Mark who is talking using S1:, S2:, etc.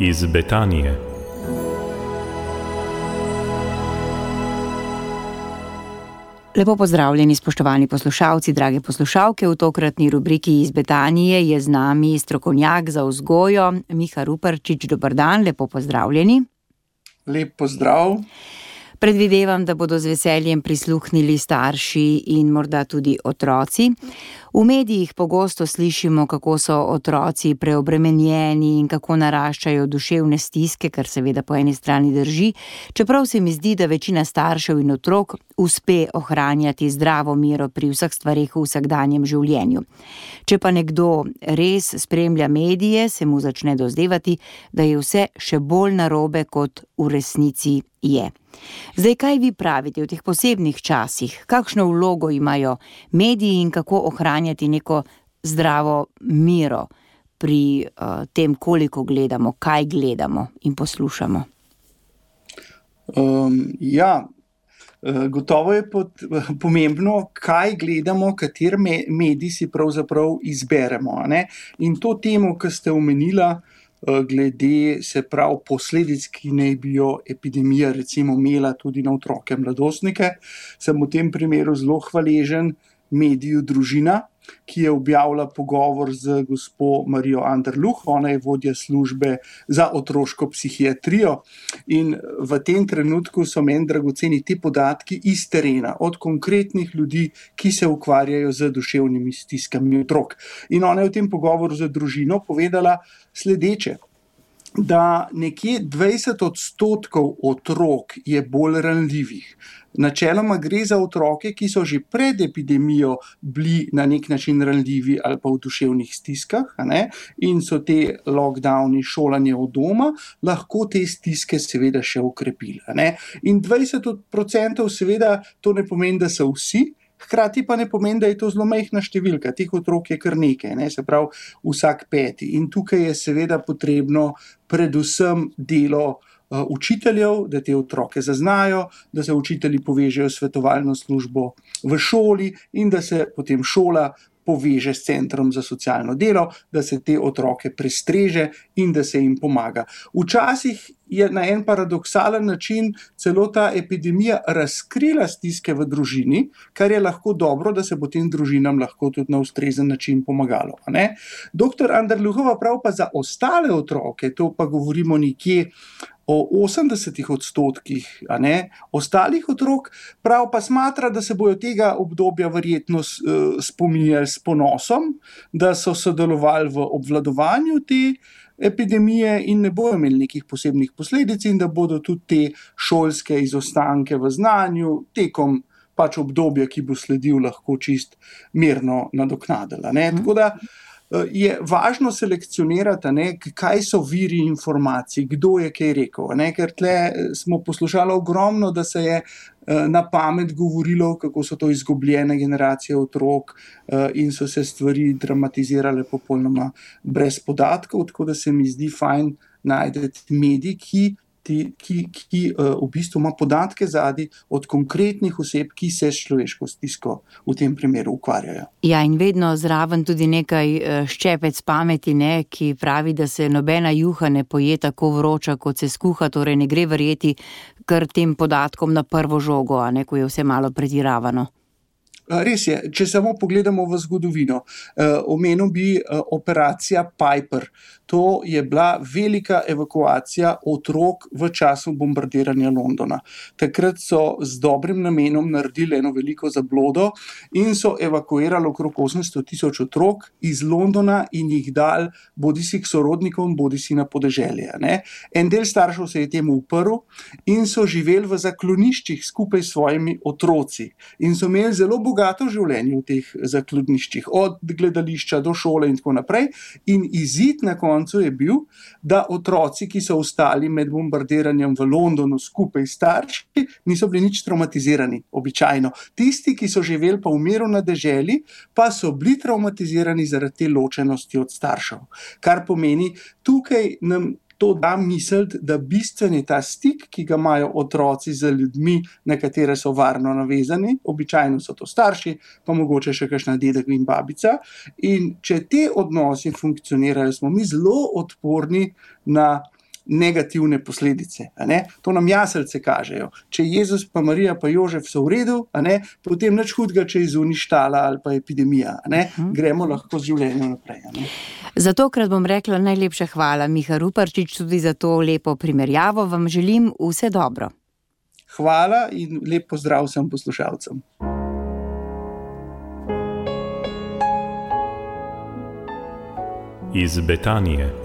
S1: iz Betanije.
S2: Lepo pozdravljeni, spoštovani poslušalci, drage poslušalke. V tokratni rubriki iz Betanije je z nami strokovnjak za vzgojo Miha Ruparčič. Dober dan, lepo pozdravljeni.
S3: Lep pozdrav.
S2: Predvidevam, da bodo z veseljem prisluhnili starši in morda tudi otroci. V medijih pogosto slišimo, kako so otroci preobremenjeni in kako naraščajo duševne stiske, kar seveda po eni strani drži, čeprav se mi zdi, da večina staršev in otrok uspe ohranjati zdravo mero pri vseh stvareh v vsakdanjem življenju. Če pa nekdo res spremlja medije, se mu začne dozdevati, da je vse še bolj narobe, kot v resnici je. Zdaj, kaj vi pravite v teh posebnih časih? Kakšno vlogo imajo mediji in kako ohranjati neko zdravo mero pri tem, koliko gledamo, kaj gledamo in poslušamo?
S3: Gotovo je pomembno, kaj gledamo, kateri medij si pravzaprav izberemo, ne? In to temo, ki ste omenila, glede posledic, ki naj bi jo epidemija recimo imela tudi na otroke, mladostnike, sem v tem primeru zelo hvaležen mediju Družina, ki je objavila pogovor z gospo Marijo Anderluh. Ona je vodja službe za otroško psihiatrijo in v tem trenutku so meni dragoceni ti podatki iz terena, od konkretnih ljudi, ki se ukvarjajo z duševnimi stiskami otrok. In ona je v tem pogovoru z Družino povedala sledeče, da nekje 20% otrok je bolj ranljivih. Načeloma gre za otroke, ki so že pred epidemijo bili na nek način ranljivi ali pa v duševnih stiskah, ne? In so te lockdowni, šolanje od doma, lahko te stiske seveda še okrepili, ne? In 20% seveda to ne pomeni, da so vsi, hkrati pa ne pomeni, da je to zelo majhna številka. Teh otrok je kar nekaj, ne? Se pravi vsak peti. In tukaj je seveda potrebno predvsem delo učiteljev, da te otroke zaznajo, da se učitelji povežejo s svetovalno službo v šoli in da se potem šola poveže s centrom za socialno delo, da se te otroke prestreže in da se jim pomaga. Včasih je na en paradoksalen način celo ta epidemija razkrila stiske v družini, kar je lahko dobro, da se bo tem družinam lahko tudi na ustrezen način pomagalo, ne? Doktor Anderluhova prav pa za ostale otroke, to pa govorimo nekje o 80%, a ne, ostalih otrok, prav pa smatra, da se bojo tega obdobja verjetno spominjali s ponosom, da so sodelovali v obvladovanju te epidemije in ne bojo imeli nekih posebnih posledic in da bodo tudi te šolske izostanke v znanju tekom obdobja, ki bo sledil, lahko čist mirno nadoknadila, ne. Tako da je važno selekcionirati, ne, kaj so viri informacij, kdo je kaj rekel, ne, ker tle smo poslušali ogromno, da se je na pamet govorilo, kako so to izgubljene generacije otrok in so se stvari dramatizirale popolnoma brez podatkov, tako da se mi zdi fajn najti medij, ki v bistvu ima podatke zadaj od konkretnih oseb, ki se s človeško stisko v tem primeru ukvarjajo.
S2: Ja, in vedno zraven tudi nekaj ščepec pameti, ne, ki pravi, da se nobena juha ne poje tako vroča, kot se skuha, torej ne gre verjeti kar tem podatkom na prvo žogo, a ne, ko je vse malo pretiravano.
S3: Res je, če samo pogledamo v zgodovino, omenil bi operacija Piper. To je bila velika evakuacija otrok v času bombardiranja Londona. Takrat so z dobrim namenom naredili eno veliko zablodo in so evakuirali okrog 800,000 otrok iz Londona in jih dali bodisi k sorodnikom, bodisi na podeželje, ne. En del staršev se je temu uprl in so živeli v zakloniščih skupaj s svojimi otroci in so imeli zelo bogato življenje v teh zakloniščih, od gledališča do šole in tako naprej. In izid na koncu je bil, da otroci, ki so ostali med bombardiranjem v Londonu skupaj s starši, niso bili nič traumatizirani, običajno. Tisti, ki so živeli pa v miru na deželi, pa so bili traumatizirani zaradi te ločenosti od staršev. Kar pomeni, tukaj nam to da misliti, da bistven je ta stik, ki ga imajo otroci z ljudmi, na katere so varno navezani, običajno so to starši, pa mogoče še kakšna dedek in babica. In če te odnosi funkcionirajo, smo mi zelo odporni na negativne posledice. To nam jaslice kažejo. Če Jezus pa Marija pa Jožef so v redu, potem nič hudega, če je zunaj štala ali pa epidemija. Gremo lahko z življenjem naprej.
S2: Zatokrat bom rekla najlepša hvala, Miha Ruparčič, tudi za to lepo primerjavo. Vam želim vse dobro.
S3: Hvala in lep pozdrav vsem poslušalcem.
S1: Iz Betanije.